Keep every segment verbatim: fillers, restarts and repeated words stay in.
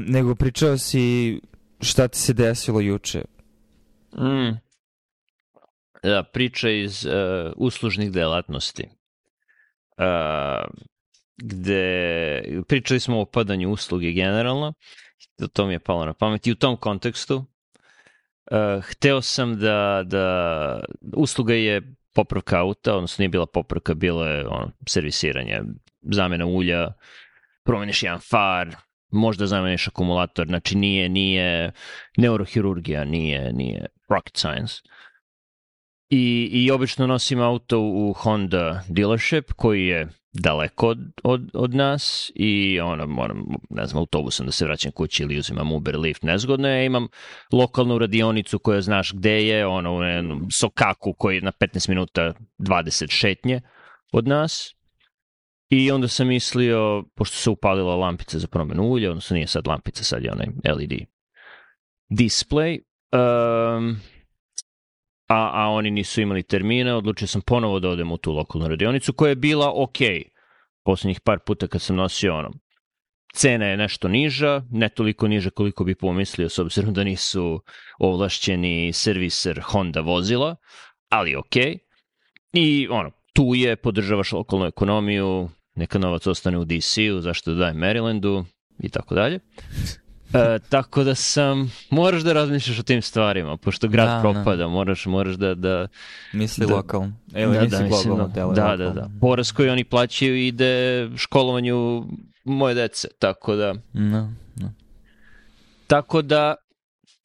nego pričao si šta ti se desilo juče. Mm. Da, priča iz uh, uslužnih delatnosti. Uh, gde pričali smo o padanju usluge generalno, to mi je palo na pamet i u tom kontekstu uh, hteo sam da, da usluga je popravka auta, odnosno nije bila popravka, bilo je ono, servisiranje, zamena ulja, promeniš jedan far, možda zameniš akumulator, znači nije, nije neurohirurgija, nije, nije rocket science. I, i obično nosim auto u Honda dealership koji je daleko od, od, od nas i ono, moram, ne znam, autobusom da se vraćam kući ili uzimam Uber, Lyft, nezgodno je. Imam lokalnu radionicu koja znaš gde je, ono, u jednom Sokaku koji je na petnaest minuta dvadeset šetnje od nas. I onda sam mislio, pošto se upalila lampica za promenu ulja, odnosno nije sad lampica, sad je onaj L E D display, um, A, a oni nisu imali termine, odlučio sam ponovo da odem u tu lokalnu radionicu koja je bila ok. Poslednjih par puta kad sam nosio ono, cena je nešto niža, ne toliko niža koliko bi pomislio s obzirom da nisu ovlašćeni serviser Honda vozila, ali ok. I ono, tu je, podržavaš lokalnu ekonomiju, neka novac ostane u D C-u, zašto da dajem Marylandu i tako dalje. E, tako da sam, moraš da razmišljaš o tim stvarima, pošto grad da, propada, da. moraš, moraš da... da misli da, lokalno. Evo, da, nisi da, globalno telo. Da, lokalno. da, da. Poraz koji oni plaćaju ide školovanju moje dece, tako da... No, no. Tako da,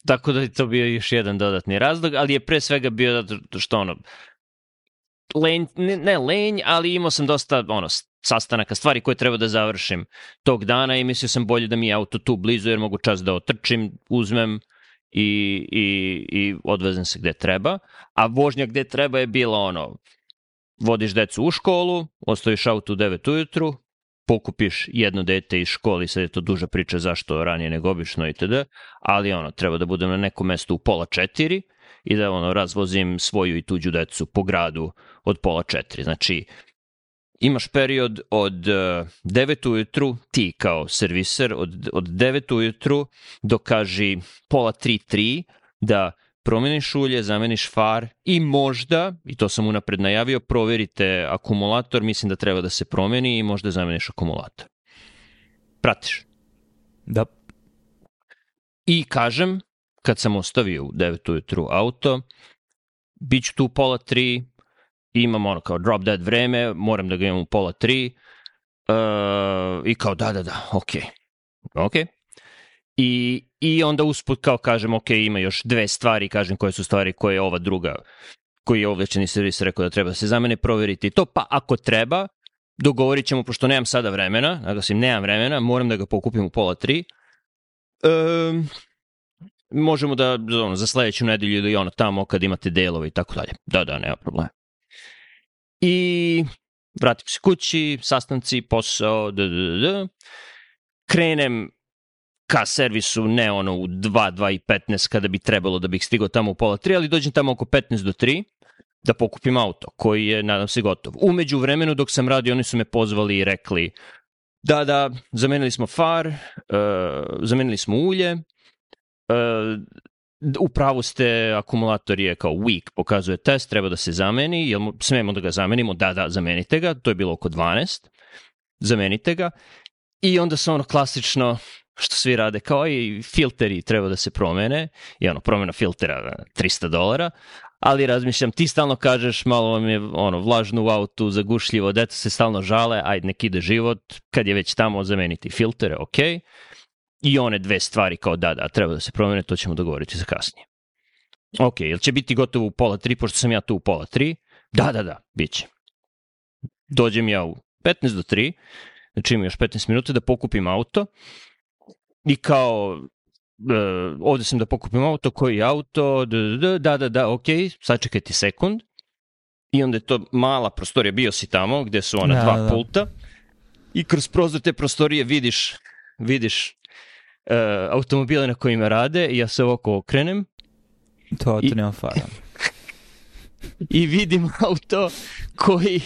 tako da je to bio još jedan dodatni razlog, ali je pre svega bio zato što ono, lenj, ne, ne lenj, ali imao sam dosta ono, sastanaka, stvari koje treba da završim tog dana i mislio sam bolje da mi je auto tu blizu jer mogu čas da otrčim, uzmem i, i, i odvezem se gde treba. A vožnja gde treba je bila ono, vodiš decu u školu, ostaviš auto u devet ujutru, pokupiš jedno dete iz škole, sad je to duža priča zašto ranije nego obično itd. Ali ono, treba da budem na nekom mestu u pola četiri i da ono, razvozim svoju i tuđu decu po gradu od pola četiri. Znači, imaš period od uh, devet ujutru, ti kao serviser, od, od devet ujutru do kaži pola tri, tri, da promeniš ulje, zameniš far i možda, i to sam unapred najavio, proverite akumulator, mislim da treba da se promeni i možda zameniš akumulator. Pratiš? Da. I kažem, kad sam ostavio u devet ujutru auto, bit ću tu pola tri, imam ono kao drop dead vreme, moram da ga imam u pola tri, uh, i kao da, da, da, ok, ok. I, i onda usput kao kažem, ok, ima još dve stvari, kažem koje su stvari koje je ova druga, koji je ovlašćeni servis rekao da treba da se za mene proveriti to, pa ako treba, dogovorit ćemo, pošto nemam sada vremena, naglasim, nemam vremena, moram da ga pokupim u pola tri, um, možemo da, ono, za sledeću nedelju ili ono tamo kad imate delove i tako dalje. Da, da, nema problema. I vratim se kući, sastanci, posao, da, da, da. Krenem ka servisu, ne ono u dva, dva i petnaest kada bi trebalo da bih stigao tamo u pola tri, ali dođem tamo oko petnaest do tri da pokupim auto, koji je, nadam se, gotov. Umeđu vremenu dok sam radio, oni su me pozvali i rekli da, da, zamenili smo far, uh, zamenili smo ulje, uh, u pravu ste, akumulator je kao weak, pokazuje test, treba da se zameni, jel smemo da ga zamenimo? Da, da, zamenite ga, to je bilo oko dvanaest, zamenite ga. I onda se ono klasično, što svi rade, kao i filteri treba da se promene, i ono, promena filtera trista dolara, ali razmišljam, ti stalno kažeš, malo vam je ono, vlažno u autu, zagušljivo, deca se stalno žale, ajde nek ide život, kad je već tamo zameniti filtere, okej. Okay. I one dve stvari kao da, da, treba da se promene, to ćemo dogovoriti za kasnije. Ok, jel će biti gotovo u pola tri, pošto sam ja tu u pola tri? Da, da, da, bit će. Dođem ja u petnaest do tri, znači imam još petnaest minuta da pokupim auto i kao, uh, ovde sam da pokupim auto, koji auto, da, da, da, da, da, ok, sačekaj ti sekund. I onda je to mala prostorija, bio si tamo, gde su ona da, dva da. pulta i kroz prozor te prostorije vidiš, vidiš Uh, automobile na kojima rade i ja se ovako okrenem. To auto nema fara. I vidim auto koji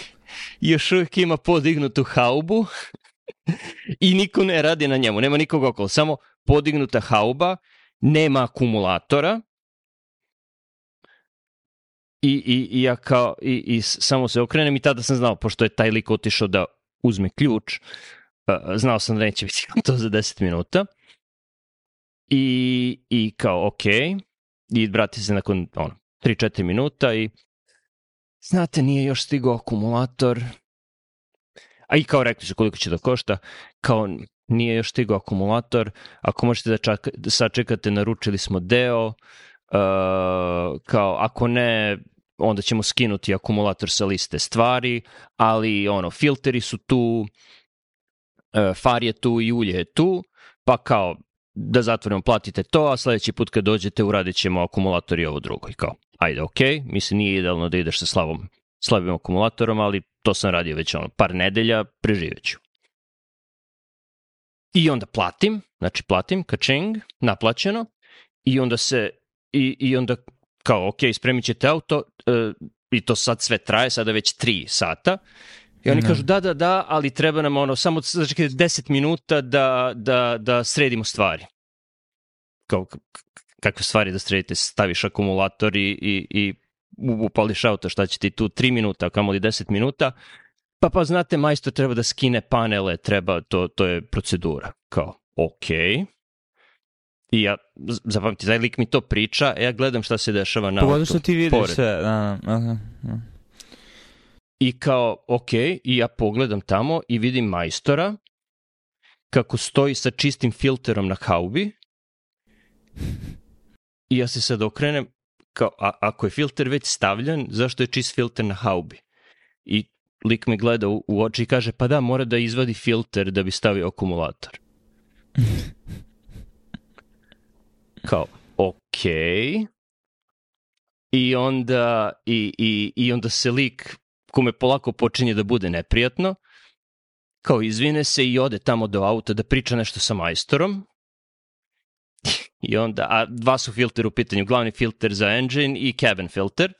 još uvijek ima podignutu haubu I niko ne radi na njemu, nema nikog okolo, samo podignuta hauba, nema akumulatora i, i, i ja kao, i, i samo se okrenem i tada sam znao, pošto je taj lik otišao da uzme ključ, uh, znao sam da neće biti to za deset minuta i, i kao ok, i vrati se nakon ono, tri četiri minuta i znate, nije još stigao akumulator. A i kao rekli su koliko će da košta, kao nije još stigao akumulator, ako možete da, čaka, da sačekate, naručili smo deo, uh, kao ako ne, onda ćemo skinuti akumulator sa liste stvari, ali ono, filteri su tu, uh, far je tu i ulje je tu, pa kao da zatvorimo, platite to, a sledeći put kad dođete uradit ćemo akumulator i ovo drugo. I kao, ajde, ok, mislim nije idealno da ideš sa slavom, slabim akumulatorom, ali to sam radio već ono, par nedelja, preživeću. I onda platim, znači platim, kačing, naplaćeno, i onda se, i, i onda kao, ok, spremit ćete auto, uh, i to sad sve traje, sada već tri sata, i oni mm-hmm. kažu, da, da, da, ali treba nam ono, samo znači, deset minuta da, da, da sredimo stvari. Kao, kakve stvari da sredite, staviš akumulator i, i, i upališ auto, šta će ti tu tri minuta, kamo li deset minuta, pa pa znate, majstor treba da skine panele, treba, to, to je procedura. Kao, ok. I ja, zapamti, taj lik mi to priča, a ja gledam šta se dešava na auto. Pogotovo što ti vidiš sve. Da, okay. Da. I kao, ok, i ja pogledam tamo i vidim majstora kako stoji sa čistim filterom na haubi i ja se sad okrenem kao, a, ako je filter već stavljen, zašto je čist filter na haubi? I lik me gleda u, u oči i kaže, pa da, mora da izvadi filter da bi stavio akumulator. Kao, ok. I onda, i, i, i onda se lik, kome polako počinje da bude neprijatno, kao izvine se i ode tamo do auta da priča nešto sa majstorom. I onda, a dva su filteri u pitanju, glavni filter za engine i cabin filter.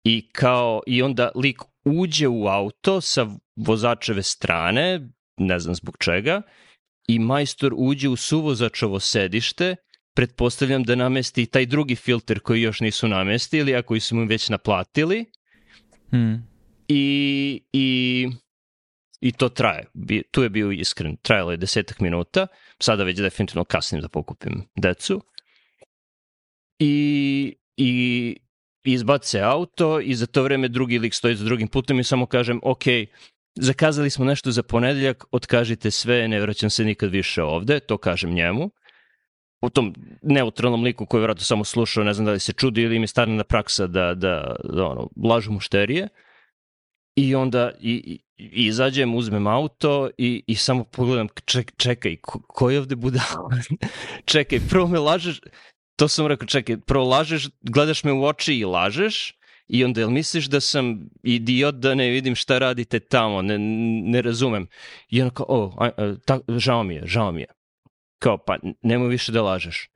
I kao, i onda lik uđe u auto sa vozačeve strane, ne znam zbog čega, i majstor uđe u suvozačovo sedište, pretpostavljam da namesti taj drugi filter koji još nisu namestili, a koji su mu već naplatili. Hmm. I, i, i to traje. Tu je bio iskren. Trajalo je desetak minuta. Sada već definitivno kasnim da pokupim decu. I, i izbace auto i za to vreme drugi lik stoji za drugim putem i samo kažem, ok, zakazali smo nešto za ponedeljak, otkažite sve, ne vraćam se nikad više ovde, to kažem njemu. U tom neutralnom liku koji je vjerojatno samo slušao, ne znam da li se čudi ili im je starna praksa da, da, da ono, lažu mušterije. I onda i, i izađem, uzmem auto i, i samo pogledam, ček, čekaj, ko, ko je ovde budala? Čekaj, prvo me lažeš, to sam rekao, čekaj, prvo lažeš, gledaš me u oči i lažeš, i onda jel misliš da sam idiot da ne vidim šta radite tamo, ne, ne razumem. I onda kao, o, a, a, ta, žao mi je, žao mi je. Kao, pa nemoj više da lažeš.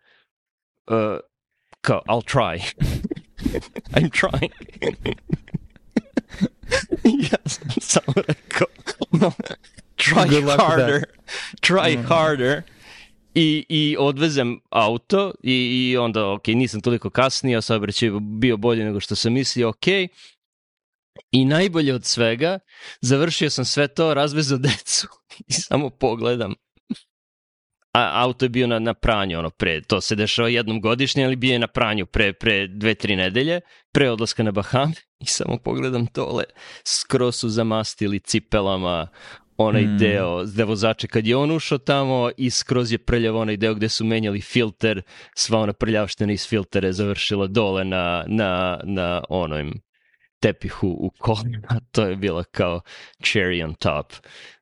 Uh, kao, I'll try. I'm trying. Ja sam samo rekao, no, try harder, try mm. harder. I, i odvezem auto i, i onda, ok, nisam toliko kasnio, saobraćaj je bio bolje nego što sam mislio, ok. I najbolje od svega, završio sam sve to, razvezao decu i samo pogledam. A auto je bio na, na pranju, ono, pre, to se dešava jednom godišnje, ali bio je na pranju pre, pre dve, tri nedelje, pre odlaska na Bahame i samo pogledam tole, skroz su zamastili cipelama onaj mm. deo, gde vozače kad je on ušao tamo i skroz je prljav onaj deo gde su menjali filter, sva ona prljavština iz filtera je završila dole na, na, na onom tepihu u kolima, to je bila kao cherry on top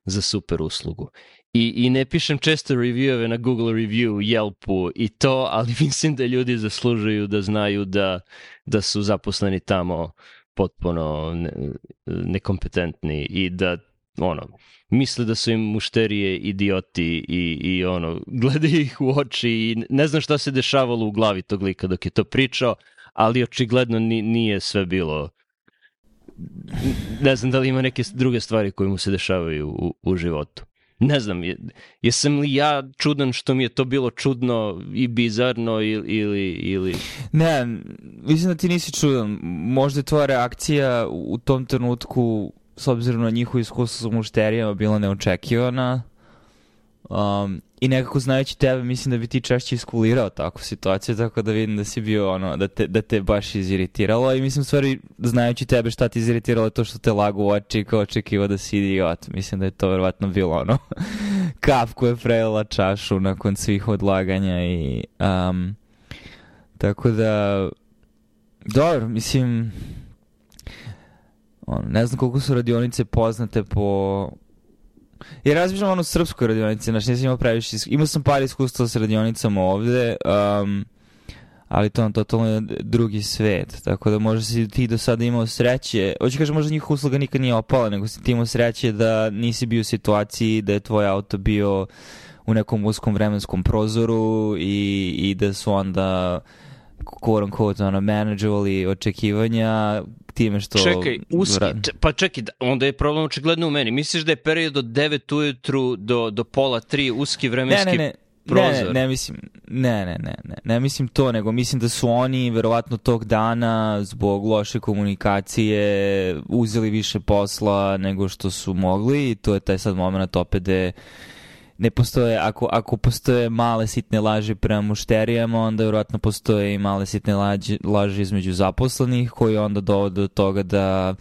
za super uslugu. I, i ne pišem često revieweve na Google Review, Yelpu i to, ali mislim da ljudi zaslužuju da znaju da, da su zaposleni tamo potpuno ne, nekompetentni i da ono, misle da su im mušterije idioti i, i ono, gledaju ih u oči i ne znam šta se dešavalo u glavi tog lika dok je to pričao, ali očigledno nije sve bilo ne znam da li ima neke druge stvari koje mu se dešavaju u, u životu. Ne znam, je, jesam li ja čudan što mi je to bilo čudno i bizarno ili... ili, ili... Ne, mislim da ti nisi čudan. Možda je tvoja reakcija u tom trenutku, s obzirom na njihovo iskustvo sa mušterijama, bila neočekivana. Um, I nekako znajući tebe, mislim da bi ti češće iskulirao takvu situaciju, tako da vidim da si bio ono, da te, da te baš iziritiralo. I mislim, stvari, znajući tebe šta ti iziritiralo je to što te lagu u oči kao očekivao da si idiot. Mislim da je to verovatno bilo ono kap koja je prelila čašu nakon svih odlaganja i um, tako da dobro, mislim on, ne znam koliko su radionice poznate po... Ja razmišljam ono srpskoj radionici, znači nisam imao previše, imao sam par iskustva s radionicama ovde, um, ali to je totalno drugi svet, tako da možda si ti do sada imao sreće, hoću kažem možda njih usluga nikad nije opala, nego si ti imao sreće da nisi bio u situaciji da je tvoj auto bio u nekom uskom vremenskom prozoru i, i da su onda quote unquote ono, manageovali očekivanja time što... Čekaj, uski, č- pa čekaj, onda je problem očigledno u meni. Misliš da je period od devet ujutru do, do pola tri uski vremenski ne, ne, ne. prozor? Ne, ne, ne mislim, ne, ne, ne, ne, ne mislim to, nego mislim da su oni verovatno tog dana zbog loše komunikacije uzeli više posla nego što su mogli i to je taj sad moment opet da ne postoje, ako, ako postoje male sitne laži prema mušterijama, onda vjerojatno postoje i male sitne laži, laži između zaposlenih koji onda dovode do toga da,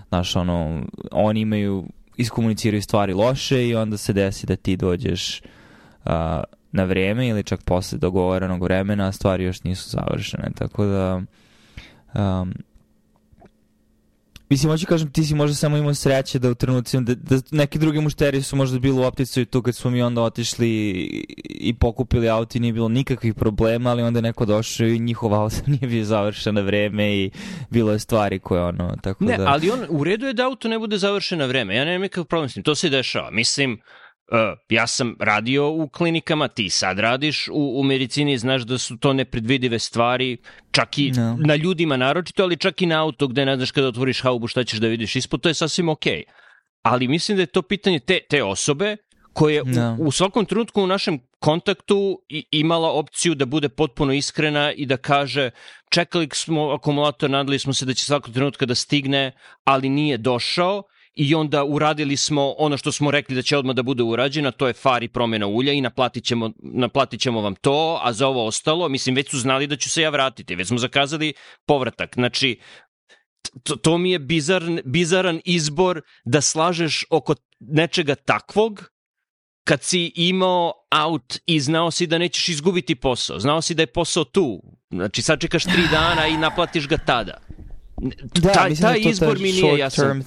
znaš, ono, oni imaju, iskomuniciraju stvari loše i onda se desi da ti dođeš uh, na vreme ili čak posle dogovorenog vremena, a stvari još nisu završene, tako da um, mislim, hoću kažem, ti si možda samo imao sreće da u trenucima, da, da neki drugi mušteriji su možda bili u opticaju tu kad smo mi onda otišli i, i pokupili auto i nije bilo nikakvih problema, ali onda je neko došao i njihov auto nije bio završen na vreme i bilo je stvari koje ono, tako ne, da... Ne, ali on, u redu je da auto ne bude završen na vreme, ja nemam nikakav problem s tim, to se dešava, mislim... Uh, ja sam radio u klinikama, ti sad radiš u, u medicini, znaš da su to nepredvidive stvari, čak i no. na ljudima naročito, ali čak i na auto gde ne znaš kada otvoriš haubu šta ćeš da vidiš ispod, to je sasvim okej. Okay. Ali mislim da je to pitanje te, te osobe koja no. u, u svakom trenutku u našem kontaktu i, imala opciju da bude potpuno iskrena i da kaže čekali smo akumulator, nadali smo se da će svakog trenutka da stigne, ali nije došao. I onda uradili smo ono što smo rekli da će odmah da bude urađeno, to je far i promjena ulja i naplatit ćemo, naplatit ćemo vam to, a za ovo ostalo, mislim, već su znali da ću se ja vratiti, već smo zakazali povratak. Znači, to, to mi je bizarn, bizaran izbor da slažeš oko nečega takvog, kad si imao aut i znao si da nećeš izgubiti posao, znao si da je posao tu, znači sačekaš tri dana i naplatiš ga tada. Da, taj, taj da izbor mi nije jasan.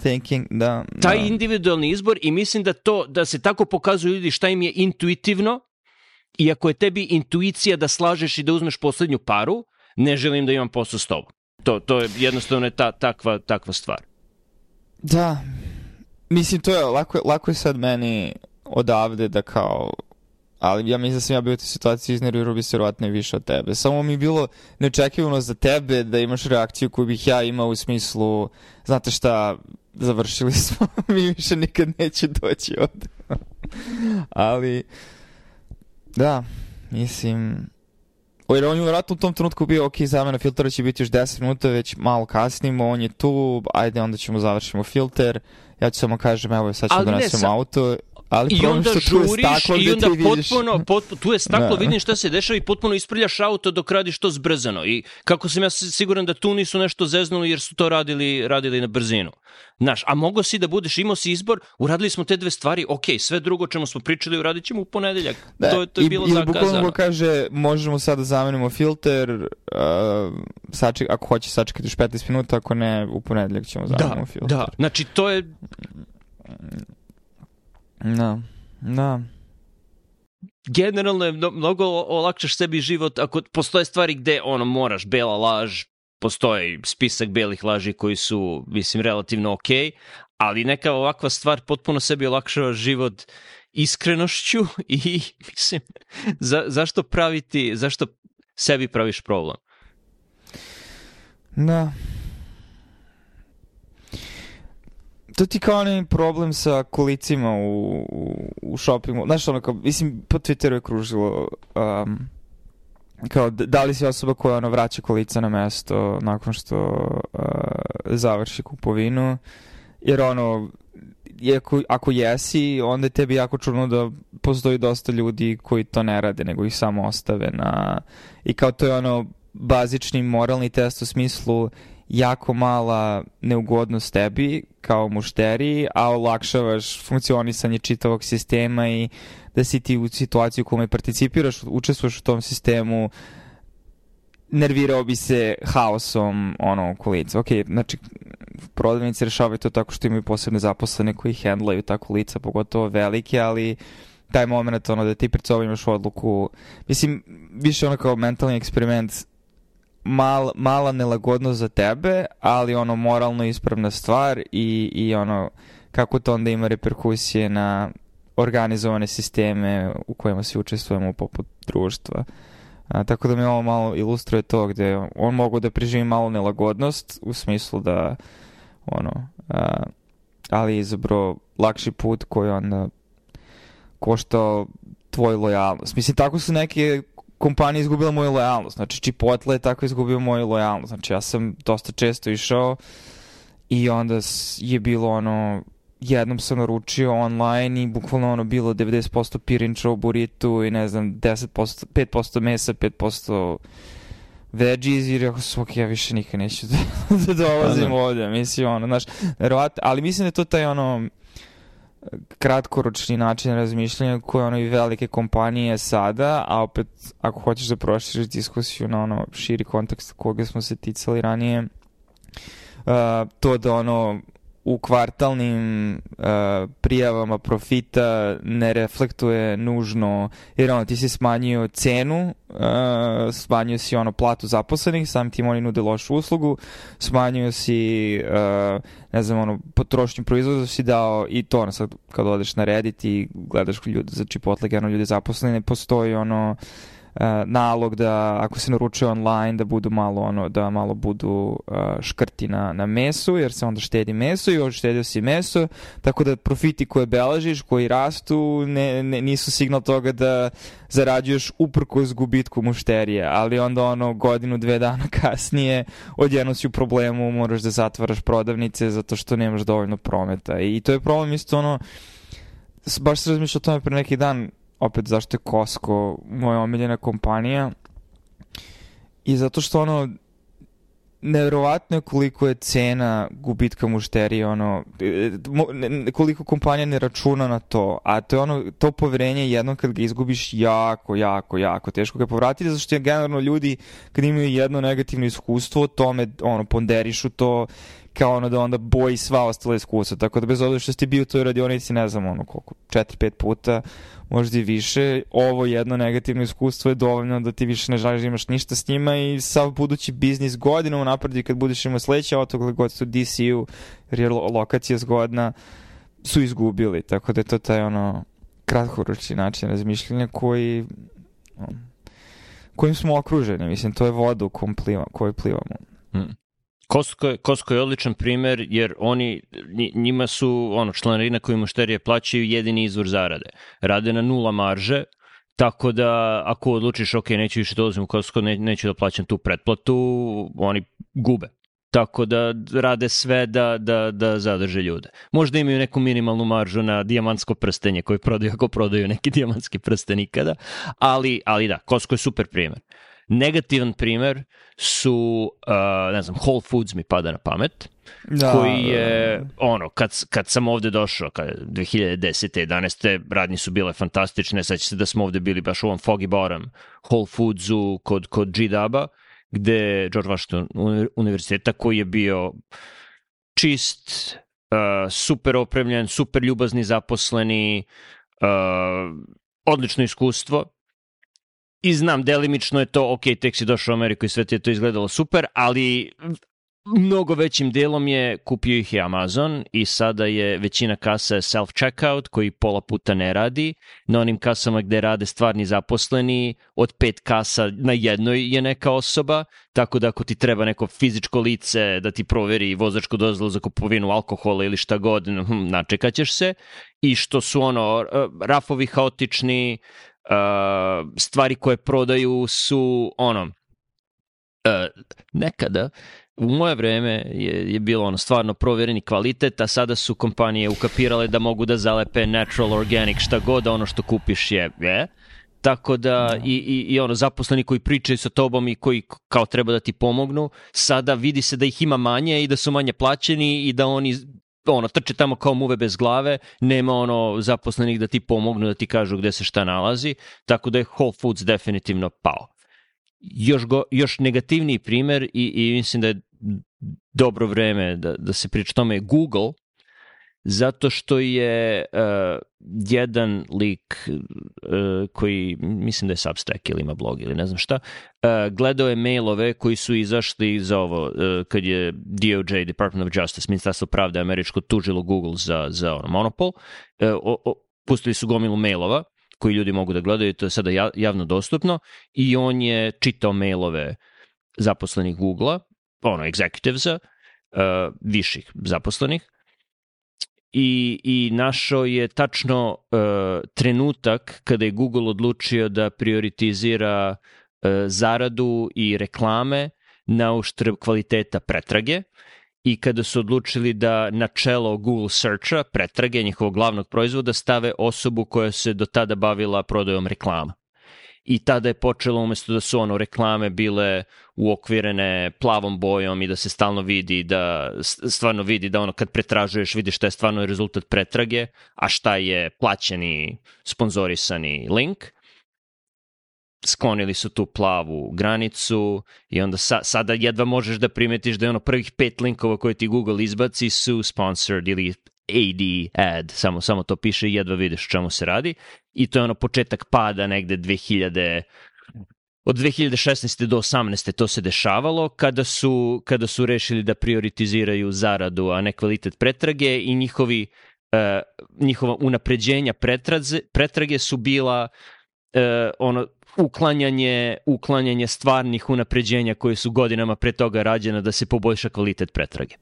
Da, taj da. individualni izbor i mislim da to da se tako pokazuju ljudi šta im je intuitivno i ako je tebi intuicija da slažeš i da uzmeš poslednju paru, ne želim da imam posao s tobom. To, to je jednostavno je ta, takva, takva stvar. Da, mislim to je lako, lako je sad meni odavde da kao... Ali ja mislim da sam ja bio u toj situaciji iznervirao bi se vjerojatno i više od tebe. Samo mi je bilo neočekivano za tebe da imaš reakciju koju bih ja imao u smislu, znate šta, završili smo, mi više nikad neće doći ovde. Ali, da, mislim... Jer on je vjerojatno u tom trenutku bio, ok, zamena filtera će biti još deset minuta, već malo kasnimo, on je tu, ajde onda ćemo završimo filter, ja ću samo kažem, evo sad ćemo donesemo sa... auto... Ali I onda žuriš i onda potpuno, potpuno, tu je staklo, da. vidim šta se dešava i potpuno isprljaš auto dok radiš to zbrzano. I kako sam ja siguran da tu nisu nešto zeznuli jer su to radili, radili na brzinu. Znaš, a mogo si da budeš, imao si izbor, uradili smo te dve stvari, ok, sve drugo čemu smo pričali uradit ćemo u ponedeljak. Da, to, to je i, bilo i zakazano. I bukvalno kaže, možemo sad da zamenimo filter, uh, saček, ako hoće sačekati još petnaest minuta, ako ne, u ponedeljak ćemo zamenimo da, filter. Da, znači to je... Da, da. Generalno je mnogo olakšaš sebi život ako postoje stvari gde ono moraš, bela laž, postoji spisak belih laži koji su, mislim, relativno ok, ali neka ovakva stvar potpuno sebi olakšava život iskrenošću i, mislim, za, zašto praviti, zašto sebi praviš problem? Da. to ti kao onaj problem sa kolicima u, u, u shoppingu. Znaš, ono kao, mislim, po Twitteru je kružilo um, kao da li si osoba koja ono vraća kolica na mesto nakon što uh, završi kupovinu, jer ono, ako, ako jesi, onda je tebi jako čudno da postoji dosta ljudi koji to ne rade, nego ih samo ostave na... I kao to je ono bazični moralni test u smislu jako mala neugodnost tebi kao mušteriji, a olakšavaš funkcionisanje čitavog sistema i da si ti u situaciji u kojoj participiraš, učestvuješ u tom sistemu, nervirao bi se haosom ono kolica. Ok, znači prodavnici rešavaju to tako što imaju posebne zaposlene koji handlaju tako lica, pogotovo velike, ali taj moment ono da ti pred sobom imaš odluku, mislim, više ono kao mentalni eksperiment, mal, mala nelagodnost za tebe, ali ono moralno ispravna stvar i, i ono kako to onda ima reperkusije na organizovane sisteme u kojima svi učestvujemo poput društva. A, tako da mi ovo malo ilustruje to gde on mogu da preživi malo nelagodnost u smislu da ono, a, ali izabro lakši put koji onda koštao tvoju lojalnost. Mislim, tako su neke kompanije izgubila moju lojalnost. Znači, Chipotle je tako izgubio moju lojalnost. Znači, ja sam dosta često išao i onda je bilo ono, jednom sam naručio online i bukvalno ono bilo devedeset posto pirinča u buritu i ne znam, deset posto, pet posto mesa, pet posto veggies i rekao sam, ok, ja više nikad neću da, da dolazim ovdje. Mislim, ono, znaš, verovatno, ali mislim da je to taj ono kratkoročni način razmišljanja koje ono i velike kompanije sada, a opet ako hoćeš da proširiš diskusiju na ono širi kontekst koga smo se ticali ranije, uh, to da ono u kvartalnim uh, prijavama profita ne reflektuje nužno, jer ono ti si smanjio cenu, uh, smanjio si ono platu zaposlenih, samim tim oni nude lošu uslugu, smanjio si uh, ne znam ono potrošnju proizvoda si dao i to ono sad kad odeš na Reddit i gledaš ljudi za Chipotle, ono ljudi zaposleni, ne postoji ono Uh, nalog da ako se naručuje online da budu malo ono da malo budu uh, škrti na, na mesu, jer se onda štedi meso i još štedio si meso, tako da profiti koje beležiš, koji rastu ne, ne, nisu signal toga da zarađuješ uprkos gubitku mušterije, ali onda ono godinu, dve dana kasnije odjednom si u problemu, moraš da zatvaraš prodavnice zato što nemaš dovoljno prometa i to je problem isto ono, baš se razmišljao o tome pre neki dan, opet zašto je Costco moja omiljena kompanija i zato što ono nevjerovatno je koliko je cena gubitka mušterije, ono koliko kompanija ne računa na to, a to je ono to poverenje jednom kad ga izgubiš jako, jako, jako teško ga povratiti, zato što je generalno ljudi kad imaju jedno negativno iskustvo tome ono ponderišu to kao ono da onda boji sva ostala iskustva, tako da bez obzira što si bio u toj radionici ne znam ono koliko, četiri pet puta možda i više, ovo jedno negativno iskustvo je dovoljno da ti više ne želiš da imaš ništa s njima i sav budući biznis godinu napredi kad budeš imao sledeće auto gledaj god su D C U jer je lokacija zgodna su izgubili, tako da je to taj ono kratkoročni način razmišljanja koji um, kojim smo okruženi, mislim to je voda u pliva, kojoj plivamo. Hmm. Costco je, Costco je odličan primer jer oni, njima su ono, članarina koju mušterije plaćaju jedini izvor zarade. Rade na nula marže, tako da ako odlučiš ok, neću više dolazim u Costco, ne, neću da plaćam tu pretplatu, oni gube. Tako da rade sve da, da, da zadrže ljude. Možda imaju neku minimalnu maržu na dijamantsko prstenje koji prodaju ako prodaju neki dijamantski prsten ikada, ali, ali da, Costco je super primer. Negativan primer su, uh, ne znam, Whole Foods mi pada na pamet, da, koji je, ono, kad, kad sam ovde došao, kad dve hiljade desete jedanaeste radnje su bile fantastične, sad će se da smo ovde bili baš u ovom Foggy Bottom Whole Foodsu kod, kod G-Duba, gde George Washington univerziteta koji je bio čist, uh, super opremljen, super ljubazni zaposleni, uh, odlično iskustvo. I znam, delimično je to, ok, tek si došao u Ameriku i sve ti je to izgledalo super, ali mnogo većim delom je kupio ih je Amazon i sada je većina kasa self-checkout koji pola puta ne radi. Na onim kasama gde rade stvarni zaposleni, od pet kasa na jednoj je neka osoba, tako da ako ti treba neko fizičko lice da ti proveri vozačku dozvolu za kupovinu alkohola ili šta god, hm, načekaćeš se. I što su ono, rafovi haotični, stvari koje prodaju su ono, nekada u moje vreme je, je bilo ono stvarno provereni kvalitet, a sada su kompanije ukapirale da mogu da zalepe natural, organic, šta god, ono što kupiš je, je. Tako da i, i, i ono zaposleni koji pričaju sa tobom i koji kao treba da ti pomognu, sada vidi se da ih ima manje i da su manje plaćeni i da oni ono trče tamo kao muve bez glave, nema ono zaposlenih da ti pomognu, da ti kažu gde se šta nalazi, tako da je Whole Foods definitivno pao. Još, go, još negativniji primer i, i mislim da je dobro vreme da, da se priča tome je Google, zato što je uh, jedan lik uh, koji, mislim da je Substack ili ima blog ili ne znam šta, uh, gledao je mailove koji su izašli za ovo, uh, kad je D O J, Department of Justice, Ministarstvo pravde američko, tužilo Google za, za ono, monopol. Uh, o, o, pustili su gomilu mailova koji ljudi mogu da gledaju, to je sada javno dostupno, i on je čitao mailove zaposlenih Google-a, ono, executivesa, uh, viših zaposlenih, i, i našao je tačno uh, trenutak kada je Google odlučio da prioritizira uh, zaradu i reklame na uštrb kvaliteta pretrage, i kada su odlučili da na čelo Google Searcha, pretrage njihovog glavnog proizvoda, stave osobu koja se do tada bavila prodajom reklama. I tada je počelo, umjesto da su ono reklame bile uokvirene plavom bojom i da se stalno vidi, da stvarno vidi da ono kad pretražuješ vidiš šta je stvarno rezultat pretrage, a šta je plaćeni, sponzorisani link. Sklonili su tu plavu granicu i onda sa, sada jedva možeš da primetiš da je ono prvih pet linkova koje ti Google izbaci su sponsored ili A D ad, samo, samo to piše i jedva vidiš o čemu se radi. I to je ono početak pada negde dve hiljade, od dve hiljade šesnaeste do osamnaeste to se dešavalo kada su, kada su rešili da prioritiziraju zaradu, a ne kvalitet pretrage, i njihovi, uh, njihova unapređenja pretraze, pretrage su bila uh, ono uklanjanje, uklanjanje stvarnih unapređenja koje su godinama pre toga rađena da se poboljša kvalitet pretrage.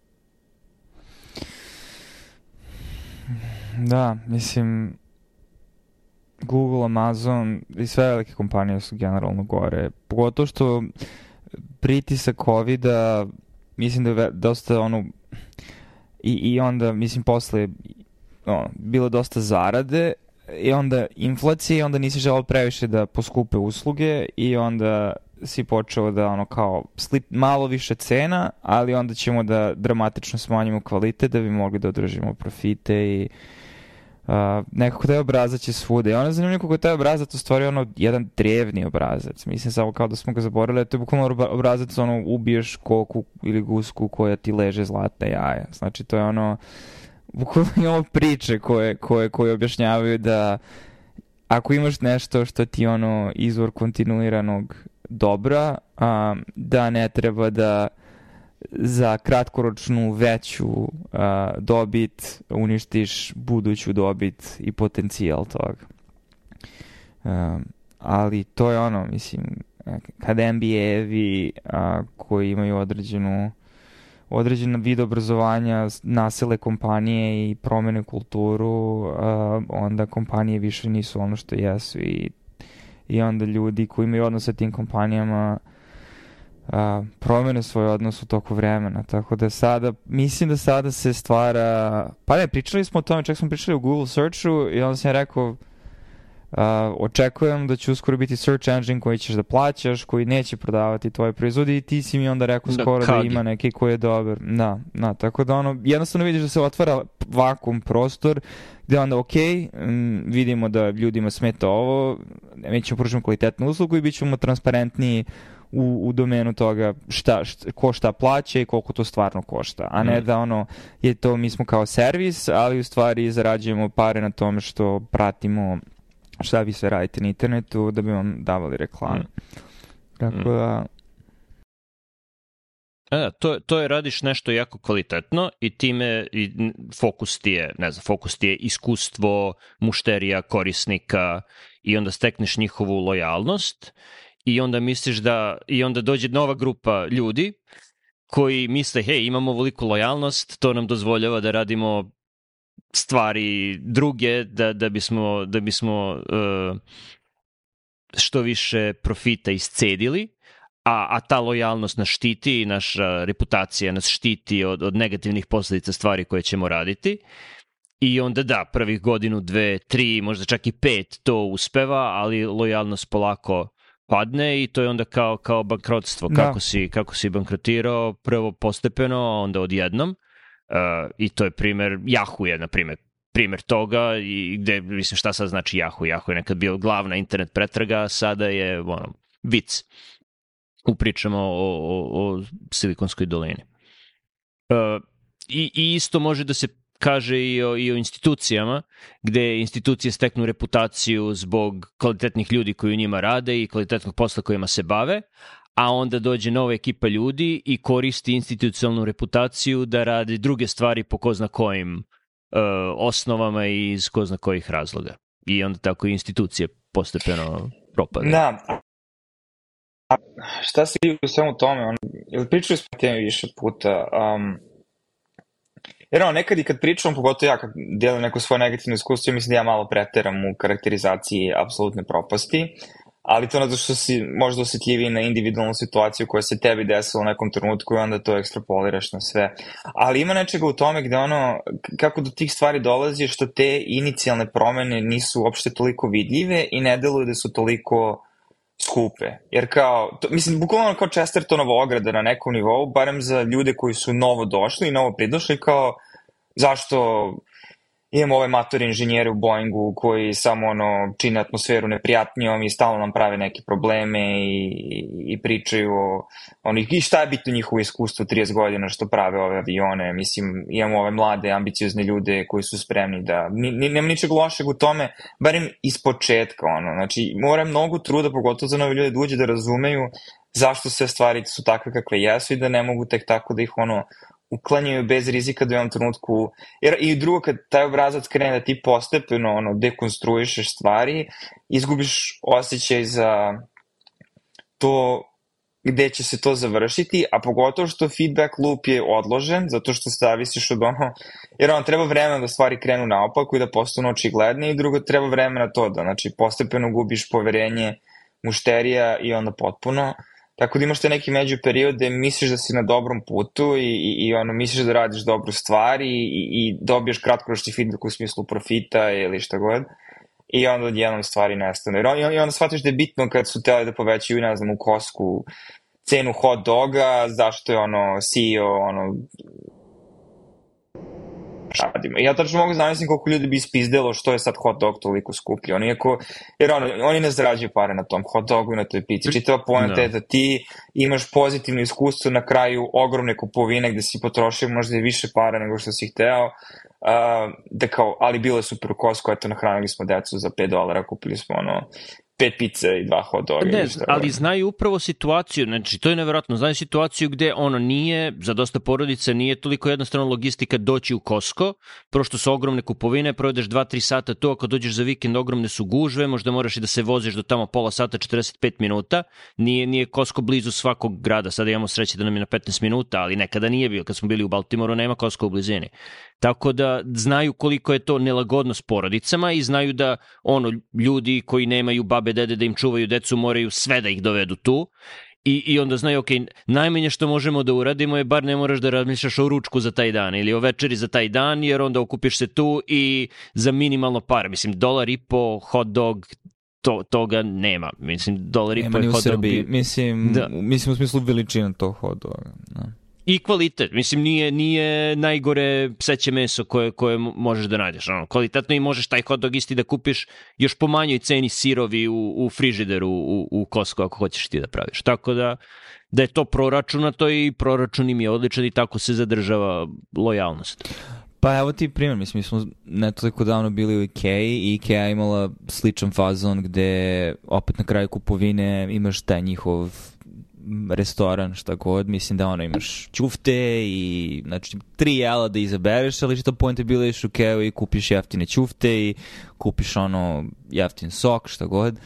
Da, mislim, Google, Amazon i sve velike kompanije su generalno gore. Pogotovo što pritisak covida, mislim da je dosta ono, i, i onda, mislim, posle ono, bilo dosta zarade, i onda inflacija, i onda nisi želeo previše da poskupe usluge, i onda si počeo da ono kao slip, malo više cena, ali onda ćemo da dramatično smanjimo kvalitet da bi mogli da održimo profite, i uh, nekako taj obrazac je svuda. I ono je zanimljivo kako je taj obrazac u stvari ono jedan drevni obrazac. Mislim samo kao da smo ga zaboravili, to je bukvalno obrazac ono ubiješ koku ili gusku koja ti leže zlatna jaja. Znači to je ono bukvalno imamo priče koje, koje, koje objašnjavaju da ako imaš nešto što ti ono izvor kontinuiranog dobra, um, da ne treba da za kratkoročnu veću uh, dobit uništiš buduću dobit i potencijal toga. Um, ali to je ono, mislim, kada N B A-evi uh, koji imaju određenu određen vid obrazovanja nasele kompanije i promene kulturu, uh, onda kompanije više nisu ono što jesu, i, i onda ljudi koji imaju odnos sa tim kompanijama uh, promene svoj odnos u toku vremena. Tako da sada, mislim da sada se stvara, pa ne, pričali smo o tome, čak smo pričali u Google Searchu, i onda sam rekao, Uh, očekujem da će uskoro biti search engine koji ćeš da plaćaš, koji neće prodavati tvoje proizvode, i ti si mi onda rekao skoro da, da ima neki koji je dobar. Da, da, tako da ono, jednostavno vidiš da se otvara vakum prostor gde onda ok, m, vidimo da ljudima smeta ovo, mi ćemo pružiti kvalitetnu uslugu i bit ćemo transparentniji u, u domenu toga šta, šta, ko šta plaća i koliko to stvarno košta, a ne mm. da ono je to, mi smo kao servis, ali u stvari zarađujemo pare na tome što pratimo šta vi sve radite na internetu da bi vam davali reklame. Mm. Tako da Da, to, to je radiš nešto jako kvalitetno i time i fokus ti je, ne znam, fokus ti je iskustvo mušterija, korisnika i onda stekneš njihovu lojalnost i onda misliš da, i onda dođe nova grupa ljudi koji misle, hej, imamo veliku lojalnost, to nam dozvoljava da radimo stvari druge, da, da bismo, da bismo uh, što više profita iscedili, a, a ta lojalnost nas štiti i naša reputacija nas štiti od, od negativnih posljedica stvari koje ćemo raditi. I onda da, prvih godinu, dve, tri, možda čak i pet to uspeva, ali lojalnost polako padne i to je onda kao, kao bankrotstvo. Kako, da. si, kako si bankrotirao, prvo postepeno, onda odjednom. Uh, I to je primer, Yahoo je, na primer, primer toga i gde, mislim, šta sad znači Yahoo? Yahoo je nekad bio glavna internet pretraga, sada je, ono, vic. Upričamo o, o, o Silikonskoj dolini. Uh, i, I isto može da se kaže i o, i o institucijama, gde institucije steknu reputaciju zbog kvalitetnih ljudi koji u njima rade i kvalitetnog posla kojima se bave, a onda dođe nova ekipa ljudi i koristi institucionalnu reputaciju da radi druge stvari po ko zna kojim uh, osnovama i iz ko zna kojih razloga. I onda tako i institucije postepeno propadaju. Da. A šta si u svemu tome? On, ili pričali smo temi više puta? Um, jer ono, nekad i kad pričam, pogotovo ja kad delim neko svoje negativno iskustvo, mislim da ja malo preteram u karakterizaciji apsolutne propasti, ali to zato što si možda osjetljiviji na individualnu situaciju koja se tebi desila u nekom trenutku i onda to ekstrapoliraš na sve. Ali ima nečega u tome gde ono, kako do tih stvari dolazi, što te inicijalne promene nisu uopšte toliko vidljive i ne deluju da su toliko skupe. Jer kao, to, mislim, bukvalno kao Chestertonova ograda na nekom nivou, barem za ljude koji su novo došli i novo pridošli, kao zašto imamo ove matori inženjere u Boeingu koji samo ono čine atmosferu neprijatnijom i stalno nam prave neke probleme i, i pričaju o onih, i šta je bitno njihovo iskustvo trideset godina što prave ove avione. Mislim, imamo ove mlade, ambiciozne ljude koji su spremni da, ni, ni, nema ničeg lošeg u tome, barem iz početka, ono, znači mora mnogo truda, pogotovo za nove ljude, da uđe da razumeju zašto sve stvari su takve kakve jesu i da ne mogu tek tako da ih ono uklanjaju bez rizika da u jednom trenutku, jer i drugo kad taj obrazac krene da ti postepeno ono, dekonstruišeš stvari, izgubiš osjećaj za to gde će se to završiti, a pogotovo što feedback loop je odložen, zato što zavisiš od ono, jer ono treba vremena da stvari krenu naopako i da postanu očigledne, i drugo treba vremena to da, znači postepeno gubiš poverenje mušterija i onda potpuno. Tako da imaš te neki među period gde misliš da si na dobrom putu i, i, i ono, misliš da radiš dobru stvar i, i, i dobiješ kratkoročni feedback u smislu profita ili šta god. I onda odjednom stvari nestane. I onda shvatiš da je bitno kad su teli da povećaju, ne znam, u Costcu cenu hot doga, zašto je ono C E O, ono, radimo. Ja tačno mogu zamislim koliko ljudi bi ispizdelo što je sad hot dog toliko skuplji. Oni jako, jer ono, oni ne zarađuju pare na tom hot dogu i na toj pici. Čitava poenta je da ti imaš pozitivno iskustvo na kraju ogromne kupovine gde si potrošio možda i više para nego što si hteo. Uh, da kao, ali bilo je super u Costco, eto nahranili smo decu za pet dolara, kupili smo ono pet pice i dva hot doga. Ne, ali znaju upravo situaciju, znači to je nevjerojatno, znaju situaciju gde ono nije, za dosta porodica nije toliko jednostavno logistika doći u Costco, prošto su ogromne kupovine, provedeš dva tri sata to, ako dođeš za vikend ogromne su gužve, možda moraš i da se voziš do tamo pola sata, četrdeset pet minuta, nije, nije Costco blizu svakog grada, sada imamo sreće da nam je na petnaest minuta, ali nekada nije bio, kad smo bili u Baltimoru nema Costco u blizini. Tako da znaju koliko je to nelagodnost porodicama i znaju da ono ljudi koji nemaju babe, dede da im čuvaju decu moraju sve da ih dovedu tu i, i onda znaju, ok, najmanje što možemo da uradimo je bar ne moraš da razmišljaš o ručku za taj dan ili o večeri za taj dan, jer onda okupiš se tu i za minimalno pare, mislim dolar i po hot dog, to, toga nema, mislim dolar i po hot dog bi... mislim, da. mislim u smislu veličina tog hot doga, da. I kvalitet, mislim, nije, nije najgore pseće meso koje, koje možeš da nađeš. Ono, kvalitetno i možeš taj hot dog isti da kupiš još po manjoj ceni sirovi u, u frižideru u, u Costco ako hoćeš ti da praviš. Tako da, da je to proračunato i proračun im je odličan i tako se zadržava lojalnost. Pa evo ti primjer, mislim, mi smo ne toliko davno bili u Ikea i Ikea imala sličan fazon gde opet na kraju kupovine imaš taj njihov restoran, šta god, mislim da ono imaš ćufte i znači tri jela da izabereš, ali što point je bilo iš u Keo i kupiš jeftine ćufte i kupiš ono jeftin sok, šta god.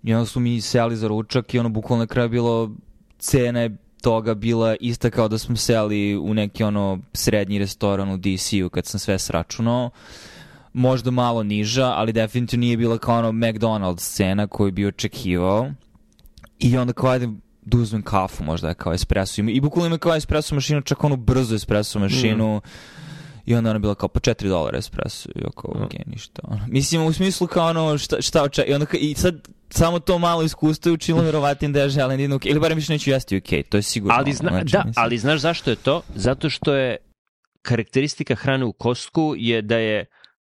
I onda su mi seli za ručak i ono bukvalno na kraju bilo cena je toga bila ista kao da smo seli u neki ono srednji restoran u D C-u kad sam sve sračunao. Možda malo niža, ali definitivno nije bila kao ono McDonald's cena koju bi očekivao. I onda kao idem da uzmem kafu, možda kao espresso. I bukvalno ima kao espresso mašinu, čak onu brzu espresso mašinu. Mm. I onda ona bila kao po četiri dolara espresso. I oko, mm. ok, ništa. Ono. Mislim, u smislu kao ono, šta, šta očekaj. I, onda, I sad samo to malo iskustvo je učinilo vjerovatim da ja želim jednu, ili barem više neću jesti u okay, to je sigurno. Ali, zna, znači, da, mislim. Ali znaš zašto je to? Zato što je karakteristika hrane u Costcu je da je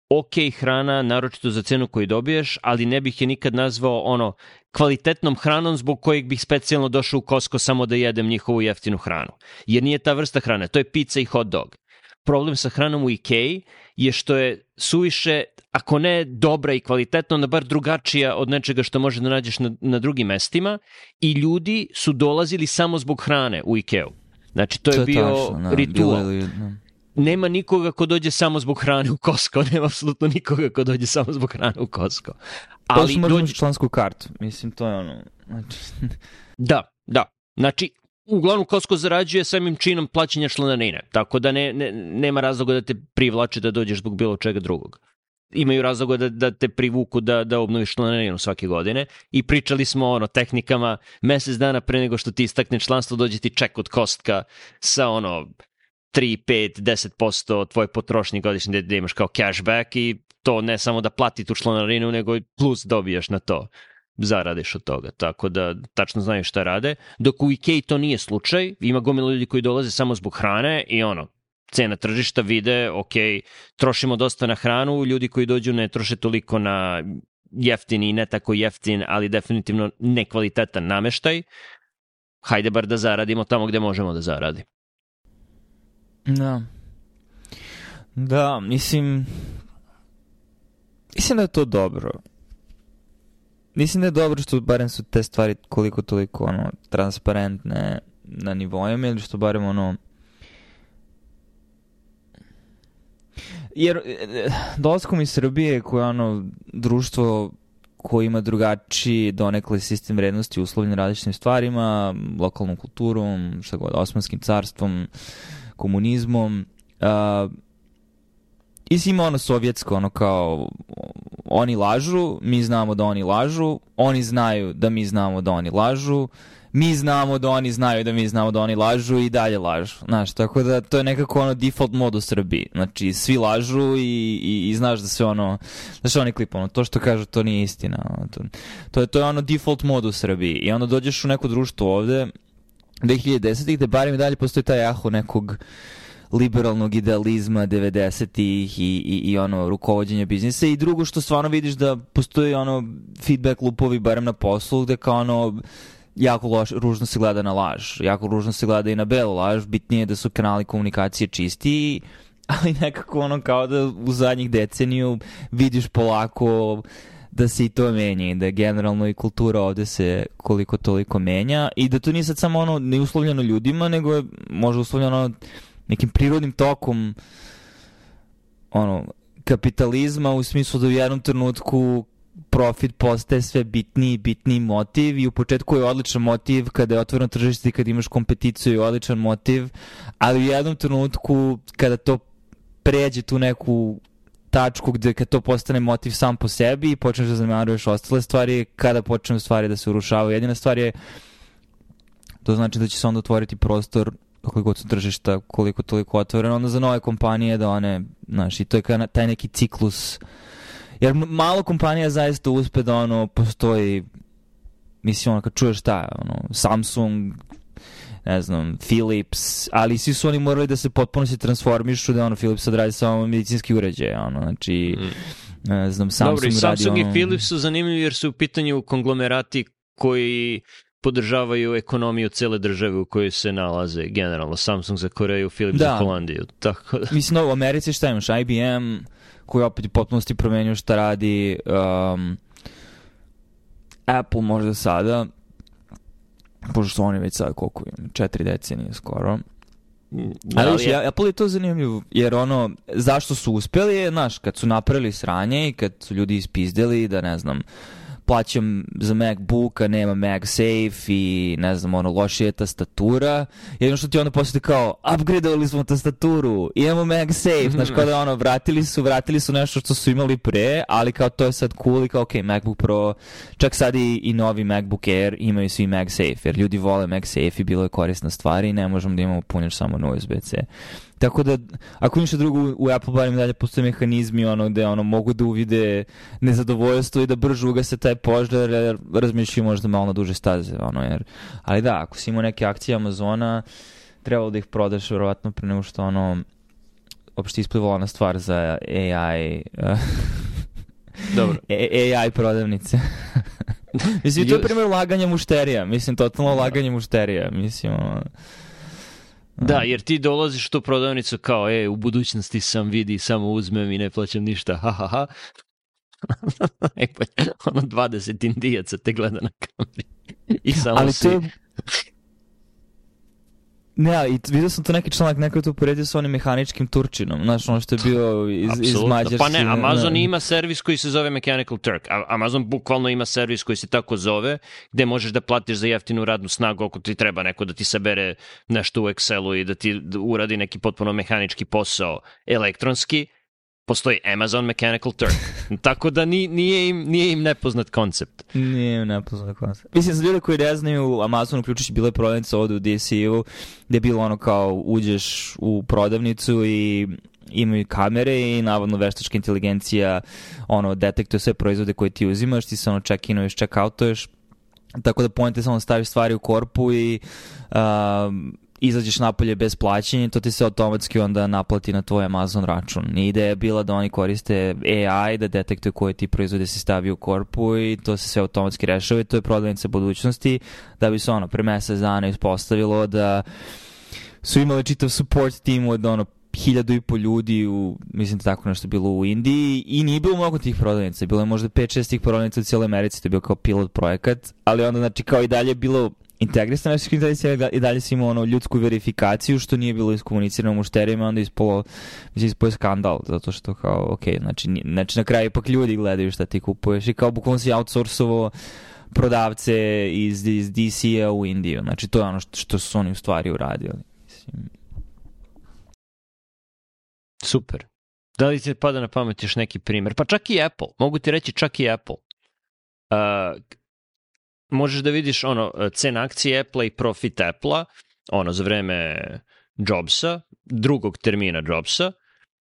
ok hrana, naročito za cenu koju dobiješ, ali ne bih je nikad nazvao ono kvalitetnom hranom zbog kojeg bih specijalno došao u Costco samo da jedem njihovu jeftinu hranu. Jer nije ta vrsta hrane, to je pizza i hot dog. Problem sa hranom u Ikei je što je suviše, ako ne dobra i kvalitetna, onda bar drugačija od nečega što može da nađeš na, na drugim mestima i ljudi su dolazili samo zbog hrane u Ikeu. Znači, to je, to je bio tačno, no, ritual. Ili, no. Nema nikoga ko dođe samo zbog hrane u Costco, nema apsolutno nikoga ko dođe samo zbog hrane u Costco. Ali to možda dođe... člansku kartu, mislim, to je ono... Znači... Da, da. Znači, uglavnom Costco zarađuje samim činom plaćanja članarine, tako da ne, ne, nema razloga da te privlače da dođeš zbog bilo čega drugog. Imaju razloga da, da te privuku da, da obnoviš članarinu svake godine i pričali smo o ono, tehnikama mesec dana pre nego što ti istakne članstvo, dođe ti ček od Costka sa ono tri, pet, deset posto tvoje potrošnje godišnje da imaš kao cashback i to ne samo da plati tu članarinu, nego plus dobijaš na to. Zaradiš od toga, tako da tačno znaju šta rade. Dok u Ikei to nije slučaj, ima gomila ljudi koji dolaze samo zbog hrane i ono, cena tržišta vide, ok, trošimo dosta na hranu, ljudi koji dođu ne troše toliko na jeftin i ne tako jeftin, ali definitivno nekvalitetan nameštaj. Hajde bar da zaradimo tamo gde možemo da zaradimo. Da. Da, mislim... Mislim da je to dobro. Mislim da je dobro što barem su te stvari koliko toliko ono, transparentne na nivoima ili što barem ono... Jer dolaskom iz Srbije koje je ono društvo koje ima drugačiji donekle sistem vrednosti uslovljen različitim stvarima, lokalnom kulturom, šta god, Osmanskim carstvom, komunizmom, uh, i si ima ono sovjetsko, ono kao oni lažu, mi znamo da oni lažu, oni znaju da mi znamo da oni lažu, mi znamo da oni znaju da mi znamo da oni lažu i dalje lažu. Znaš, tako da to je nekako ono default mod u Srbiji. Znači, svi lažu i, i, i znaš da sve ono, znaš onaj klip, ono, to što kažu to nije istina. Ono, to, to, je, to je ono default mod u Srbiji. I onda dođeš u neko društvo ovde, dve hiljade desetih gde barem i dalje postoji taj jaho nekog liberalnog idealizma devedesetih i, i, i ono rukovođenja biznisa i drugo što stvarno vidiš da postoji ono feedback loopovi barem na poslu gde kao ono jako loš, ružno se gleda na laž, jako ružno se gleda i na belu laž, bitnije je da su kanali komunikacije čisti, ali nekako ono kao da u zadnjih deceniju vidiš polako da se i to menja i da generalno i kultura ovde se koliko toliko menja i da to nije sad samo ono neuslovljeno ljudima, nego je možda uslovljeno nekim prirodnim tokom ono, kapitalizma u smislu da u jednom trenutku profit postaje sve bitniji i bitniji motiv i u početku je odličan motiv kada je otvoreno tržište i kada imaš kompeticiju je odličan motiv, ali u jednom trenutku kada to pređe tu neku tačku gde kad to postane motiv sam po sebi i počneš da zanemaruješ ostale stvari, kada počnu stvari da se urušavaju. Jedina stvar je, to znači da će se onda otvoriti prostor koliko su tržišta, koliko toliko otvoreno, onda za nove kompanije da one, znaš, i to je taj neki ciklus. Jer malo kompanija zaista uspe da ono postoji, mislim, ono, kad čuješ šta, ono, Samsung, ne znam, Philips, ali svi su oni morali da se potpuno se transformišu, da ono, Philips sad radi samo medicinski uređaj, ono, znači, mm. ne znam, Samsung Dobre, radi Samsung ono... i Philips su zanimljivi jer su u pitanju konglomerati koji podržavaju ekonomiju cele države u kojoj se nalaze generalno. Samsung za Koreju, Philips da. za Holandiju. Tako da. Mislim, u Americi šta imaš? I B M, koji opet u potpunosti promenio šta radi, um, Apple možda sada, pošto su oni već sad koliko im, četiri decenije skoro. Da, ali je... ja, Apple je to zanimljivo, jer ono, zašto su uspjeli je, znaš, kad su napravili sranje i kad su ljudi ispizdeli da, ne znam, plaćam za MacBook, a nema MagSafe i ne znam, ono, lošija je tastatura. Jedno što ti onda posle kao, upgradeovali smo tastaturu, imamo MagSafe, znaš, kao da ono, vratili su, vratili su nešto što su imali pre, ali kao to je sad cool i kao, ok, MacBook Pro, čak sad i, i novi MacBook Air imaju svi MagSafe, jer ljudi vole MagSafe i bilo je korisna stvar i ne možemo da imamo punjač samo na U S B C. Tako da, ako ništa drugo, u Apple barem dalje postoje mehanizmi ono gde ono, mogu da uvide nezadovoljstvo i da brže ugase taj požar, jer razmišljaju možda malo na duže staze. Ono, jer, ali da, ako si imao neke akcije Amazona, trebalo da ih prodaš verovatno pre nego što ono, uopšte isplivala ona stvar za A I Dobro. A I prodavnice. Mislim, to je primjer laganja mušterija. Mislim, totalno laganje mušterija. Mislim, ono... Da, jer ti dolaziš u tu prodavnicu kao, e, u budućnosti sam vidi, samo uzmem i ne plaćam ništa, ha, ha, ha. Ono dvadeset indijaca te gleda na kameri. I samo ali si... To... Ne, ali vidio sam to neki članak, neko je to uporedio sa onim mehaničkim Turčinom, znaš, ono što je bio iz, iz Mađarske. Pa ne, Amazon ne. Ima servis koji se zove Mechanical Turk. Amazon bukvalno ima servis koji se tako zove, gde možeš da platiš za jeftinu radnu snagu ako ti treba neko da ti sabere nešto u Excelu i da ti uradi neki potpuno mehanički posao elektronski. Postoji Amazon Mechanical Turk. Tako da ni, nije, im, nije im nepoznat koncept. Nije im nepoznat koncept. Mislim, za ljude koji ne znaju, Amazon uključujući bila je prodavnica ovde u D C U, gde je bilo ono kao uđeš u prodavnicu i imaju kamere i navodno veštačka inteligencija ono, detektuje sve proizvode koje ti uzimaš, ti se ono check-inuješ, check-outuješ. Tako da point je samo staviš stvari u korpu i... Um, izađeš napolje bez plaćanja, to ti se automatski onda naplati na tvoj Amazon račun. I ideja je bila da oni koriste A I da detektuju koje ti proizvode se stavi u korpu i to se sve automatski rešava i to je prodavnica budućnosti da bi se ono pre mesec dana ispostavilo da su imali čitav support team od ono hiljadu i po ljudi u, mislim da tako nešto bilo u Indiji i nije bilo mnogo tih prodavnica, bilo je možda pet šest tih prodavnica u cijeloj Americi, to je bio kao pilot projekat, ali onda znači kao i dalje je bilo integrisana veštačka inteligencija i dalje si imao ono ljudsku verifikaciju što nije bilo iskomunicirano mušterijima, onda ispolo, mislim, ispolo je skandal, zato što kao, ok, znači, znači na kraju ipak ljudi gledaju šta ti kupuješ i kao bukvalno si outsourcovo prodavce iz, iz D C-a u Indiju, znači to je ono što, što su oni u stvari uradili. Mislim. Super. Da li ti pada na pamet još neki primjer? Pa čak i Apple, mogu ti reći čak i Apple. Uh, možeš da vidiš ono cena akcije Apple i profit Apple-a ono za vreme Jobsa, drugog termina Jobsa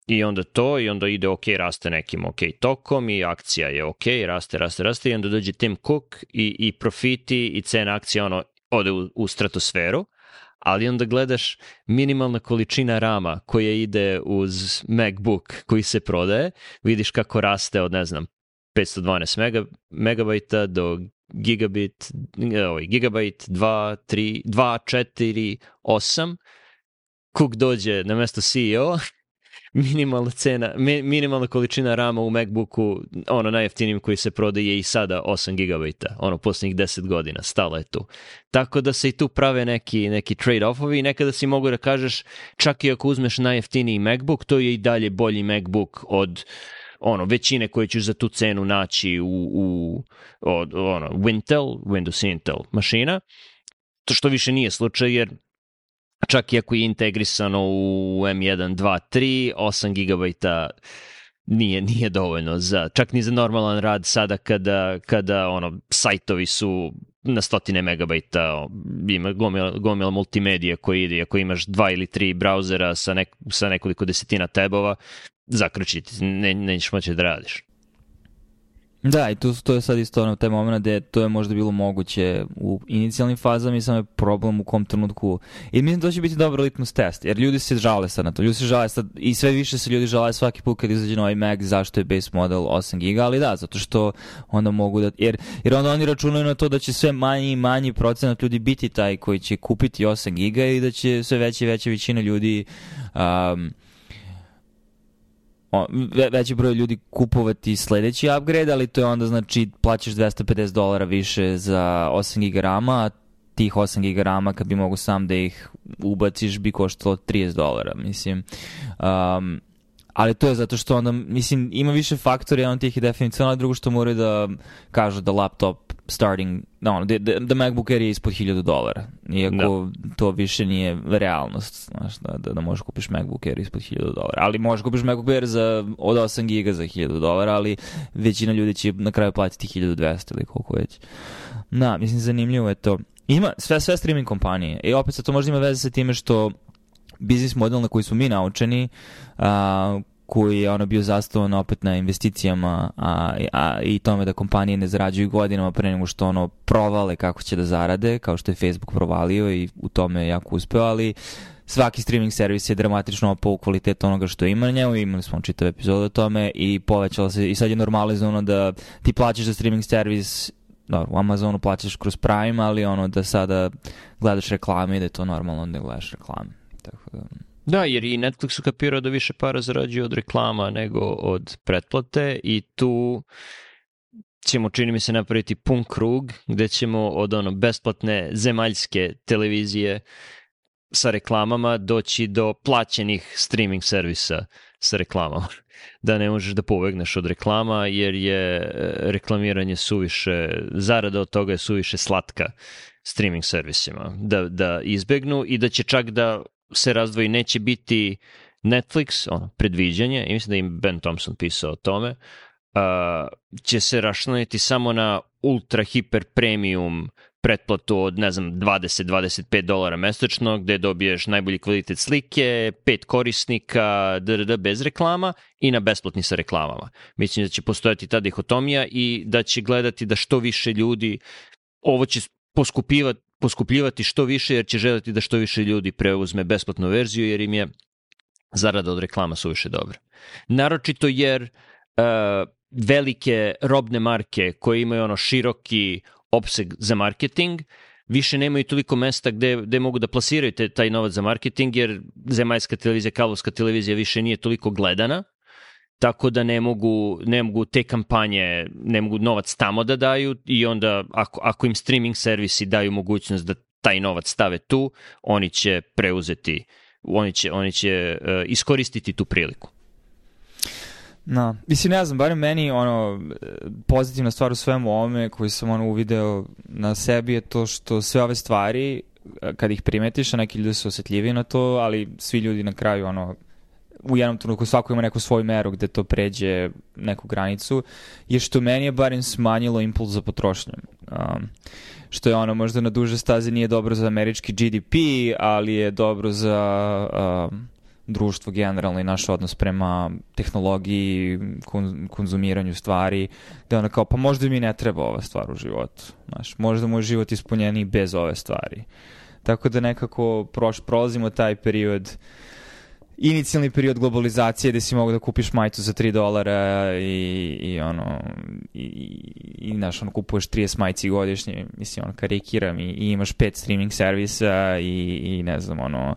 i onda to i onda ide ok, raste nekim ok tokom i akcija je ok, raste, raste, raste i onda dođe Tim Cook i, i profiti i cena akcije ono ode u, u stratosferu, ali onda gledaš minimalna količina rama koja ide uz MacBook koji se prodaje, vidiš kako raste od ne znam petsto dvanaest mega, megabajta do gigabit, ovaj, gigabajt dva, tri, dva, četiri, osam. Cook dođe na mesto C E O, minimalna cena, minimalna količina rama u MacBooku, ono najjeftinijim koji se prodaje i sada osam gigabajta, ono posljednjih deset godina, stala je tu. Tako da se i tu prave neki, neki trade-offovi i nekada si mogu da kažeš, čak i ako uzmeš najjeftiniji MacBook, to je i dalje bolji MacBook od ono, većine koje ćeš za tu cenu naći u, u od, ono, Wintel, Windows Intel mašina, to što više nije slučaj, jer čak i ako je integrisano u M jedan, dva, tri, osam gigabajta nije, nije dovoljno za, čak ni za normalan rad sada kada, kada ono, sajtovi su na stotine megabajta, ima gomila, gomila multimedija koji ide, ako imaš dva ili tri brauzera sa, nek, sa nekoliko desetina tabova, zakrčiti, ne, nećeš moći da radiš. Da, i tu, to je sad isto ono taj moment gde to je možda bilo moguće u inicijalnim fazama i samo je problem u kom trenutku. I mislim da to će biti dobar litmus test, jer ljudi se žale sad na to. Ljudi se žale sad, i sve više se ljudi žale svaki put kad izađe novi Mac, zašto je base model osam giga, ali da, zato što onda mogu da, jer, jer onda oni računaju na to da će sve manji i manji procenat ljudi biti taj koji će kupiti osam giga i da će sve veća i veća većina ljudi um, O, ve, veći broj ljudi kupovati sledeći upgrade, ali to je onda znači plaćaš dvesta pedeset dolara više za osam giga rama, tih osam giga rama kad bi mogu sam da ih ubaciš bi koštalo trideset dolara, mislim. Um, ali to je zato što onda, mislim, ima više faktora, jedan od tih je definicionalno, drugo što moraju da kažu da laptop starting, no, da, da, da MacBook Air je ispod hiljadu dolara. Iako da. To više nije realnost, znaš, da, da, da možeš kupiš MacBook Air ispod hiljadu dolara. Ali možeš kupiš MacBook Air za, od osam giga za hiljadu dolara, ali većina ljudi će na kraju platiti hiljadu dvesta ili koliko već. Da, mislim, zanimljivo je to. Ima sve, sve streaming kompanije. I opet sad to možda ima veze sa time što biznis model na koji smo mi naučeni, a, koji je ono bio zastavan opet na investicijama a, a, i tome da kompanije ne zarađuju godinama pre nego što ono provale kako će da zarade, kao što je Facebook provalio i u tome je jako uspeo, ali svaki streaming servis je dramatično opao u kvalitetu onoga što ima na njemu, imali smo čitav epizod o tome i povećalo se, i sad je normalizovano da ti plaćaš za streaming servis. Dobro, u Amazonu plaćaš kroz Prime, ali ono da sada gledaš reklame i da je to normalno da gledaš reklame. Tako da... Da, jer i Netflix ukapirao da više para zarađuje od reklama nego od pretplate i tu ćemo, čini mi se, napraviti pun krug gde ćemo od ono besplatne zemaljske televizije sa reklamama doći do plaćenih streaming servisa sa reklamama. Da ne možeš da pobegneš od reklama jer je reklamiranje suviše, zarada od toga je suviše slatka streaming servisima da, da izbegnu i da će čak da se razdvoji, neće biti Netflix, ono, predviđanje, i mislim da im Ben Thompson pisao o tome, uh, će se rašlaniti samo na ultra hiper premium pretplatu od, ne znam, dvadeset do dvadeset pet dolara mesečno, gde dobiješ najbolji kvalitet slike, pet korisnika, drd, bez reklama i na besplatni sa reklamama. Mislim da će postojati ta dihotomija i da će gledati da što više ljudi, ovo će poskupivati poskupljivati što više jer će želiti da što više ljudi preuzme besplatnu verziju jer im je zarada od reklama suviše dobra. Naročito jer uh, velike robne marke koje imaju ono široki opseg za marketing više nemaju toliko mesta gde, gde mogu da plasiraju te, taj novac za marketing jer zemaljska televizija, kablovska televizija više nije toliko gledana, tako da ne mogu, ne mogu te kampanje, ne mogu novac tamo da daju i onda ako, ako im streaming servisi daju mogućnost da taj novac stave tu, oni će preuzeti, oni će, oni će uh, iskoristiti tu priliku. No, mislim, ne znam, barem meni ono, pozitivna stvar u svemu ovome koju sam ono uvideo na sebi je to što sve ove stvari, kad ih primetiš, a neki ljudi su osjetljiviji na to, ali svi ljudi na kraju ono, u jednom trenutku svako ima neku svoju meru gde to pređe neku granicu, je što meni je barem smanjilo impuls za potrošnjom. Um, što je ono možda na duže staze nije dobro za američki G D P, ali je dobro za um, društvo generalno i naš odnos prema tehnologiji, kon, konzumiranju stvari, gde ono kao pa možda mi ne treba ova stvar u životu. Znaš, možda moj život ispunjeniji bez ove stvari. Tako da nekako proš, prolazimo taj period, inicijalni period globalizacije gde si mogu da kupiš majicu za tri dolara i, i ono i, i znaš, ono, kupuješ trideset majici godišnje, mislim, ono, karikiram i, i imaš pet streaming servisa i, i ne znam, ono,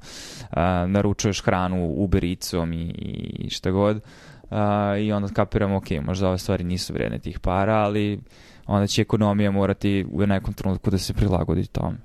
a, naručuješ hranu Uber Eatsom i, i šta god a, i onda kapiram, ok, možda ove stvari nisu vredne tih para, ali onda će ekonomija morati u nekom trenutku da se prilagodi tome.